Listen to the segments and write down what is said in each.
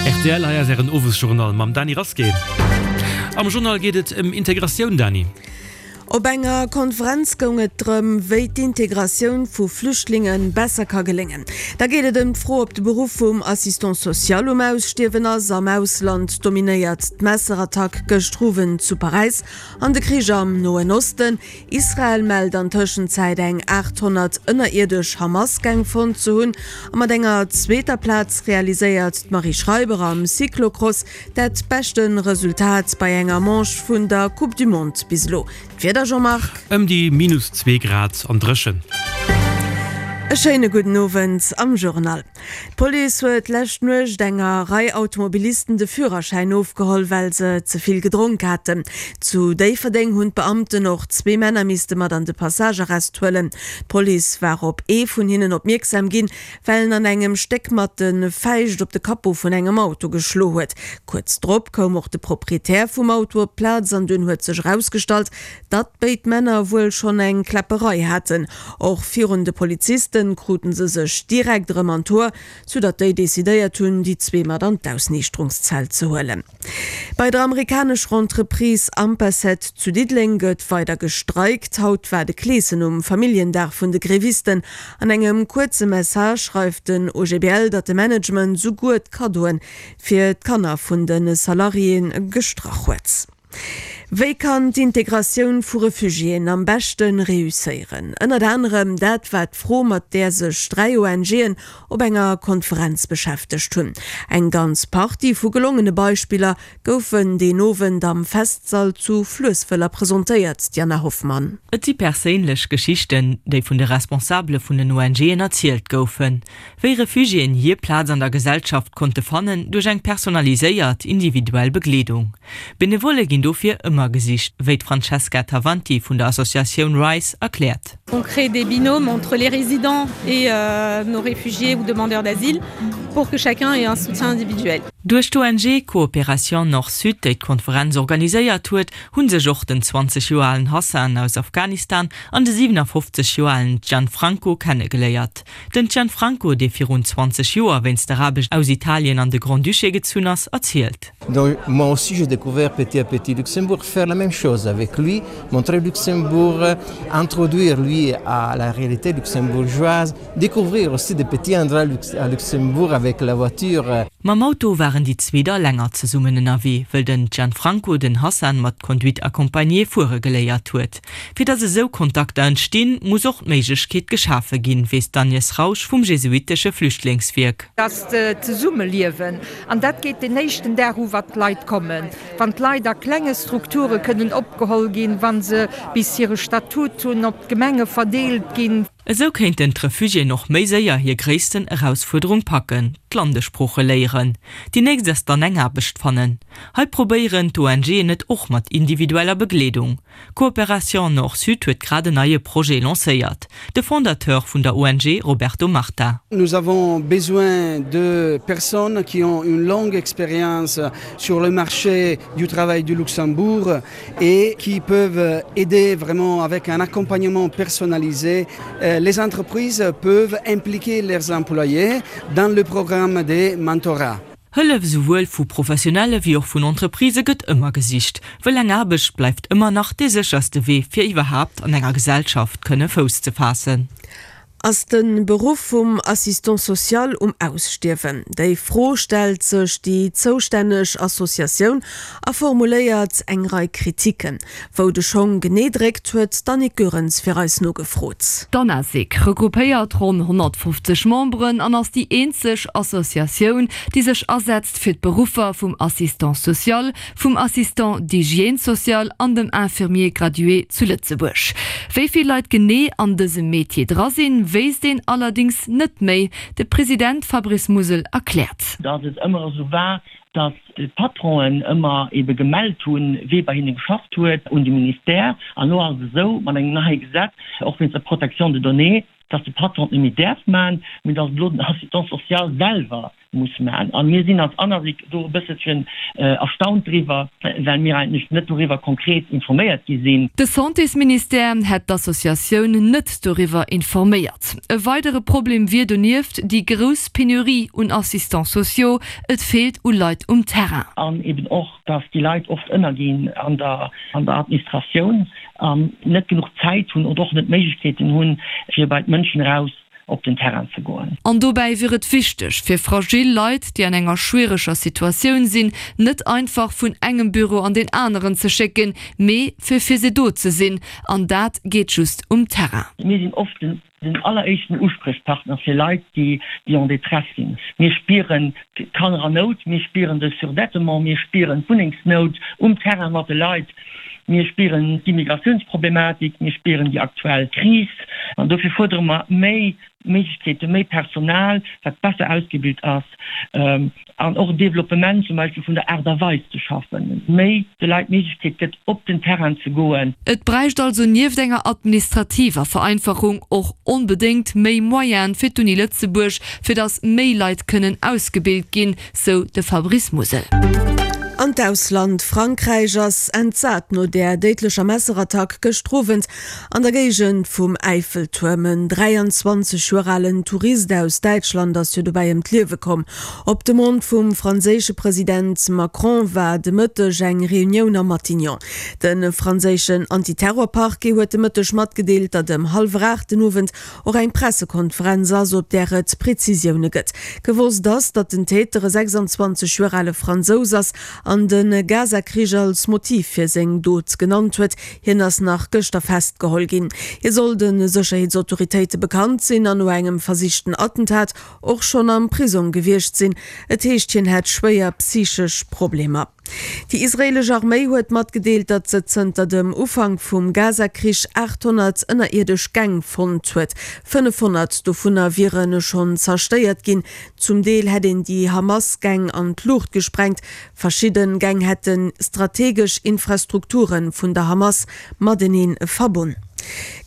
Rtl, hei ass Ären Owesjournal mam Dany Rasqué. Am Journal geet et ëm Integratioun, Dany. Op enger Konferenz goung et drëm, wéi d'Integratioun vu Flüchtlinge besser ka geléngen. Da geet et ëm d'Fro, ob de Beruff vum Assistant social um Ausstierwen ass. Am Ausland dominéiert d'Messerattack gëschter Owend zu Paräis an de Krich am Noen Osten. Israel mellt an Tëschenzäit eng 800 ënnerierdesch Hamas-Gäng fonnt ze hunn. A mat enger zweeter Plaz realiséiert d'Marie Schreiber am Cyclocross dat beschte Resultat bei enger Manche vun der Coupe du Monde bis elo. D'Wieder, Jean-Marc? Ëm déi minus zwee Grad an dréchen. E schéine gudden Owend am Journal. D'Police huet lescht Nuecht enger Rei Automobilisten de Führerschäin ofgeholl, well se ze vill gedronk haten. Zu Déifferdeng hunn d'Beamten och zwee Männer misste mat an de Passagearrest huelen. D'Police war op ee vun hinnen opmierksam ginn, well en an engem Stéck mat de Fäischt op de Capot vun engem Auto geschlo huet. Kuerz drop koum och de Proprietär vum Auto op d'Plaz an dunn huet sech erausgestallt, datt béid Männer wuel schonn eng Kläpperei haten. Och virun de Polizisten kruten se sech direkt erëm an d'Hoer, soudatt déi decidéiert hunn, déi zwee mat an d'Ausniichterungszell ze huelen. Bei der amerikanescher Entreprise Ampacet zu Diddeleng gëtt weider gestreikt. Haut war de Kleeschen um Familljendag vun de Grevisten. An engem kuerze Message schreift den OGBL, datt de Management souguer d'Kaddoe fir d'Kanner vun de Salariéë gestrach huet. Wéi kann d'Integratioun vu Refugiéen am beschte reusséieren? Ënnert anerem dat war d'Fro, mat där sech 3 ONGen op enger Konferenz beschäftegt hunn. Eng ganz Partie vu gelongene Beispiller goufen deen Owend am Festsall zu Fluesswëller presentéiert, Diana Hoffmann. Et si perséinlech Geschichten, déi vun de Responsabele vun den ONGen erzielt goufen. Wéi Refugiéen hir Plaz an der Gesellschaft konnte fannen duerch eng personaliséiert, individuell Begleedung. Benevolle ginn dofir ëmmer gesicht, wéi d'Francesca Tavanti vun der Associatioun Rise erkläert. On crée des binômes entre les résidents et nos réfugiés ou demandeurs d'asile pour que chacun ait un soutien individuel. Duerch d'ONG Coopération Nord-Sud, déi d'Konferenz organiséiert huet, hu sech och den 20 Joer alen Hassan aus Afghanistan an de 57 Joer alen Gianfranco kennegeléiert. Den Gianfranco, dee virun 20 Joer wéinst der Aarbecht aus Italien an de Grand-Duché gezunn ass, erzielt. Donc moi aussi j'ai découvert petit à petit Luxembourg, faire la même chose avec lui, montrer Luxembourg, introduire lui à la réalité luxembourgeoise, découvrir aussi des petits endroits à Luxembourg avec la voiture. Mam Auto waren déi zwee da länger zesummen ënnerwee, wëll den Gianfranco den Hassan mat Conduite accompagnée fuere geléiert huet. Fir datt esou Kontakter entstinn, muss och d'Méiglechkeet geschafe ginn, weess d'Agnès Rausch vum jesuitesche Flüchtlingswierk. Dass d'Zesummeliewen, an dat geet den éischten Dag u wat d'Leit kommen, wann d'Leit a klenge Strukture kënnen opgeholl ginn, wa se bis hire Statut hunn, op d'Gemenge verdeelt ginn. Esou kéinten d'Refugiéen och méi séier hir gréissten Erausfuerderung packen, d'Landessprooche léieren. Déi nächst ass dann eng Aarbecht fannen. Hei probéieren d'ONGen et och mat individueller Begleedung. Coopération Nord-Sud huet grad en neie Projet lancéiert. De Fondateur vun der ONG Roberto Marta. Nous avons besoin de personnes qui ont une longue expérience sur le marché du travail du Luxembourg et qui peuvent aider vraiment avec un accompagnement personnalisé. Les entreprises peuvent impliquer leurs employés dans le programme des mentorats. Hëllef esouwuel vu Professionelle wéi och vun Entreprisë gëtt ëmmer gesicht, wëll eng Aarbecht bleift ëmmer nach dee sécherste Wee fir iwwerhaapt an enger Gesellschaft kënne Fouss ze faassen. Ass de Beruff vum Assistant social um Ausstierwen? Déi Fro stellt sech déi zoustänneg Associatioun a formuléiert eng Rei Kritiken. Wou de Schong genee dréckt, huet d'Annick Goerens fir eis nogefrot. D'Anasic regroupéiert ronn 150 Memberen an ass déi eenzeg Associatioun, déi sech asetzt fir d'Beruffer vum Assistant social, vum Assistant d'hygiène sociale an dem Infirmier gradué zu Lëtzebuerg. Wéi vill Leit genee an dësem Metier dra sinn, wéisst een allerdéngs net méi. De President Fabrice Musel erkläert. Datt et ëmmer esou war, datt d'Patronen ëmmer ebe gemellt hunn, wee bei hinne geschafft huet, un de Ministère. An elo ass et esou, mat engem neie Gesetz, och wéinst der Protection de données, datt de Patron et net méi däerf maachen, mee datt elo den Assistant social selwer. muss maachen. A mir sinn als ANASIC do e bësselchen erstaunt driwwer, well mir eigentlech net doriwwer konkret informéiert gi sinn. De Santésministère hätt d'Associatioun net doriwwer informéiert. E weidere Problem wier donieft déi grouss Penurie un Assistants sociaux, et feelt u Leit um Terrain. An eben och, dass déi Leit oft ënnerginn an der an der Administratioun an net genuch Zäit hunn oder och net d'Méiglechkeeten hunn, fir bei d'Mënschen eraus op den Terrain ze goen. An dobäi wier et wichteg, fir fragil Leit, déi an enger schwiereger Situatioun sinn, net einfach vun engem Büro an deen aneren ze schécken, mee fir fir se do ze sinn. An dat geet just um Terrain. Mir sinn oft den den alleréischten Uspriechpartner fir Leit, déi en détresse sinn. Mir spieren d'Kanner an Nout, mir spieren de Surdettement, mir spieren d'Wunnengsnout um Terrain mat de Leit, mir spieren d'Immigratiounsproblematik, mir spieren déi aktuell Kris. An dofir fuerdere mer méi Méiglechkeeten, méi Personal, wat besser ausgebilt ass, an och e Developpement zum Beispill vun der Aart a Weis ze schaffen, méi de Leit d'Méiglechkeet gëtt, op den Terrain ze goen. Et bräicht also nieft enger administrativer Vereinfachung och onbedéngt méi Moyene fir d'Uni Lëtzebuerg, fir datt méi Leit kënnen ausgebilt ginn, sou de Fabrice Musel. An d'Ausland, Frankräich ass entsat no där déidlecher Messerattack gëschter Owend An der Géigend vum Äifeltuerm. En 23 Joer alen Tourist aus Däitschland ass jo dobäi ëm d'Liewe komm. Op Demande vum franséische President Macron war de Mëtteg eng Reunioun am Matignon. De franséischen Antiterror-Parquet huet de Mëtteg matgedeelt, datt ëm hallwer 8 den Owend och eng Pressekonferenz ass, op där et Prezisioune gëtt. Gewosst ass, datt den Täter e 26 Joer ale Fransous ass an de Gaza-Krich als Motiv fir seng Dot genannt huet. Hien ass nach gëschter festgeholl ginn. Hie soll de Sécherheetsautoritéite bekannt sinn an no engem versichten Attentat och schonn am Prisong gewiescht sinn. Et heescht, hien hätt schwéier psychesch Problemer. Déi israeelesch Arméi huet matgedeelt, datt se zënter dem Ufank vum Gaza-Krich 800 ënnerierdesch Gäng fonnt huet. 500 dovunner wiere schonn zerstéiert ginn. Zum Deel hätt een déi Hamas-Gäng an d'Luucht gesprengt, Verschidde Gäng hätte strategesch Infrastrukture vun der Hamas matenee verbonn.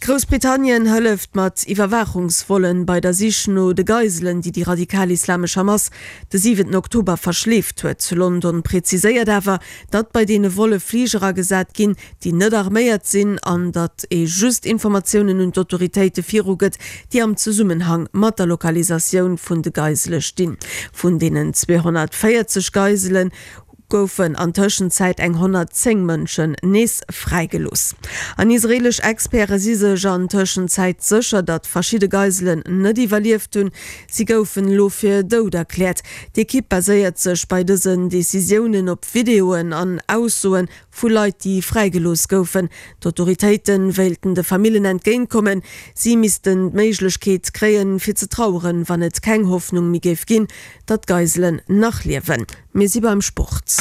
Groussbritannien hëlleft mat Iwwerwaachungsvollen bei der Sich no de Geiselen, déi déi radikal-islamesch Hamas de siwenten Oktober verschleeft huet. London preziséiert awer, datt bei deene Volle Fliger agesat ginn, déi net arméiert sinn, an datt ee just Informatiounen un d'Autoritéite virugëtt, déi am Zesummenhang mat der Lokalisatioun vun de Geisele stinn. Vun deenen 240 Geisele goufen an Tëschenzäit eng 110 Mënschen nees fräigelooss. An israeelesch Experte si sech an Tëschenzäit sécher, datt verschidde Geiselen net iwwerlieft hunn. Si goufen elo fir dout erkläert. D'Ekipp baséiert sech bei dësen Decisiounen op Videoen an Aussoe Vu Leit, déi fräigelooss goufen. D'Autoritéite wéilten de Famillen entgéintkommen. Si missten d'Méiglechkeet kréien, fir ze traueren, wann et keng Hoffnung méi géif ginn, datt d'Geiselen nach liewen. Mir si beim Sport.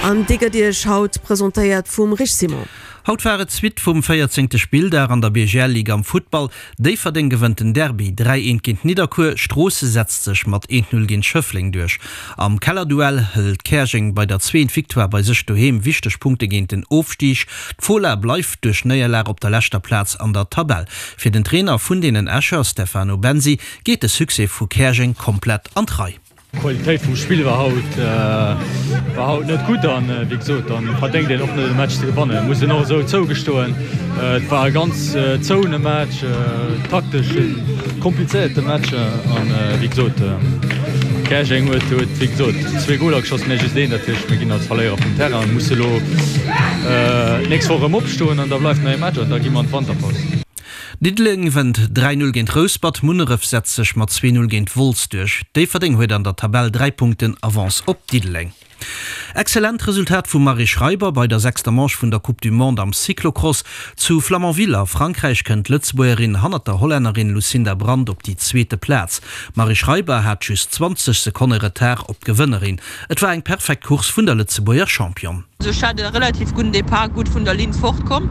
An dee gëtt Iech haut presentéiert vum Rich Simon. Haut war et d'Suite vum véierzéngte Spilldag an der BGL-Ligue am Futtball. Déifferdeng gewënnt den Derby 3, 1 géint Nidderkuer, Stroosse setzt sech mat 1, 0 géint Schëffleng duerch. Am Kellerduell hëlt Käerjeng bei der zweent Victoire bei sech doheem wichteg Punkte géint den Ofstig. D'Fola bleift duerch Néierlag op der leschter Plaz an der Tabell. Fir den Trainer vun deenen Escher, Stefano Bensi, geet de Succès vu Käerjeng komplett an d'Rei. D'Qualitéit vum Spill war haut war haut net gutt an wéi gesot dann verdéngt een och net e Match ze gewannen, muss een och esou zougestoen. Et war e ganz zouene Match, taktesch e komplizéierte Match an wéi gesot Käerjeng huet huet wéi gesot zwee Goler geschoss, mir just een. Dat heescht mir ginn als Verléierer vum Terrain an musse elo d'nächst Woch erëm opstoen an da bleift nach ee Match an da gi mer an d'Wanterpaus. Diddeleng gewënnt 3, 0 géint Rouspert, Munneref setzt sech mat 2, 0 géint Wolz duerch. Déifferdeng huet an der Tabell 3 Punkten Avance op Diddeleng. Excellent Resultat vum Marie Schreiber bei der sechster Manche vun der Coupe du Monde am Cyclocross. Zu Flamanville a Frankräich kënnt d'Lëtzebuergerin hannert der Hollännerin Lucinda Brand op déi zweete Plaz. D'Marie Schreiber hat just 20 Sekonne Retard op d'Gewënnerin. Et war eng perfekt Course vun der Lëtzebuerger Championne. Also ech hat e relativ gudden Depart, gutt vun der Linn fort komm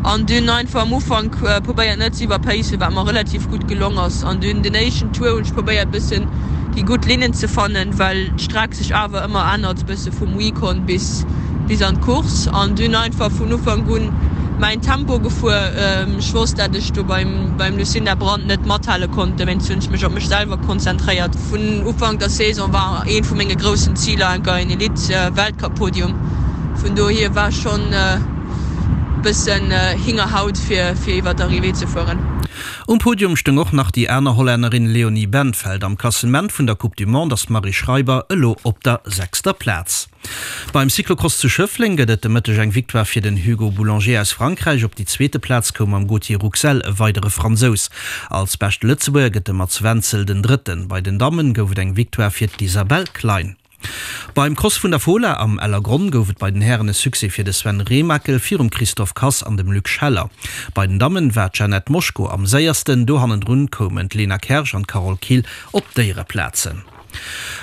an dunn einfach am Ufank probéiert net ze iwwerpacen, wat mer relativ gutt gelong ass. An dunn den éischten Tour hunn ech probéiert bëssen déi gutt Linnen ze fannen, well d'Streck sech awer ëmmer ännert bësse vum Recon bis bis an d'Course an dunn einfach vun Ufank un. mäin Tempo gefuer. Ech wosst, dat ech do beim beim Lucinda Brand net mathale konnt, dowéinst hunn ech mech op mech selwer konzentréiert. Vun Ufank der Saison war eent vu menge groussen Ziler enker en Elite Weltcup Podium, vun dohier war schonn bëssen Hingerhaut fir fir iwwer d'Arrivée ze fueren. Um Podium stoung och nach déi aner Hollännerin Leonie Bentveld. Am Klassement vun der Coupe du Monde ass d'Marie Schreiber elo op der sechster Plaz. Beim Cyclocross zu Schëffleng gëtt et de Mëtteg eng Victoire fir den Hugo Boulanger aus Frankräich. Op déi zweete Plaz koum mam Gauthier Rouxel e weidere Fransous. Als beschte Lëtzebuerger gëtt de Mats Wenzel den Drëtten. Bei den Dammen gouf et eng Victoire fir d'Isabelle Klein. Beim Cross vun der Fola am Ellergronn gouf et bei den Hären e Succès fir de Sven Remakel virum Christophe Kass an dem Luc Scheller. Bei den Dammen war d'Jeannette Moschko am séiersten, do hannendrun koumen d'Lena Kersch an d'Carole Kill op d'Éiereplazen.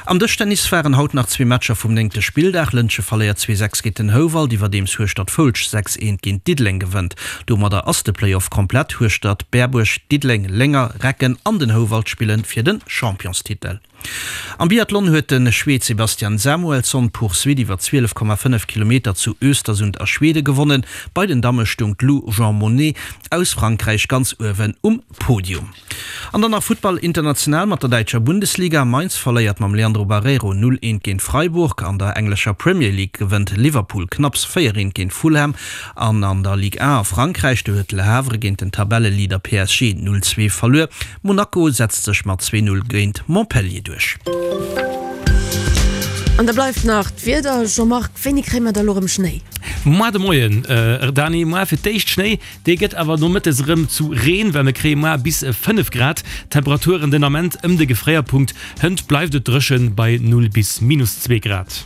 Am Dëschtennis waren haut nach zwee Matcher vum néngte Spilldag. Lëntge verléiert 2, 6 géint den Houwald, iwwerdeems Hueschtert-Foulsch 6, 1 géint Diddeleng gewënnt. Domadder ass de Playoff komplett, Hueschtert, Berbuerg, Diddeleng, Lénger, Recken an den Houwald spillen fir de Championstitel. Am Biathlon huet de Schweed Sebastian Samuelsson d'Poursuite iwwer 12,5 Kilometer zu Östersund a Schwede gewonnen. Bei den Damme stoung d'Lou Jean-Monnet aus Frankräich ganz uewen um Podium. An dann nach Futtball international mat der däitscher Bundesliga. Mainz verléiert mam Leandro Barreiro 0, 1 géint Freiburg. An der englescher Premier League gewënnt Liverpool knapps 4, 1 géint Fulham. An an der Ligue 1 a Frankräich, do huet Le Havre géint den Tabelleleader PSG 0, 2 verluer. Monaco setzt sech mat 2, 0 géint Montpellier duerch. An da bleift nach d'Wieder. Jean-Marc, wéini kréie mer da lo rëm Schnéi? Moar de Moien, Dani, moar fir d'éischt Schnéi, dee gëtt awer nomëttes erëm zu Reen, well mir kréie moar bis 5 Grad. Temperaturen den Ament ëm de Gefréierpunkt, hënt bleift et dréchen bei 0 bis minus 2 Grad.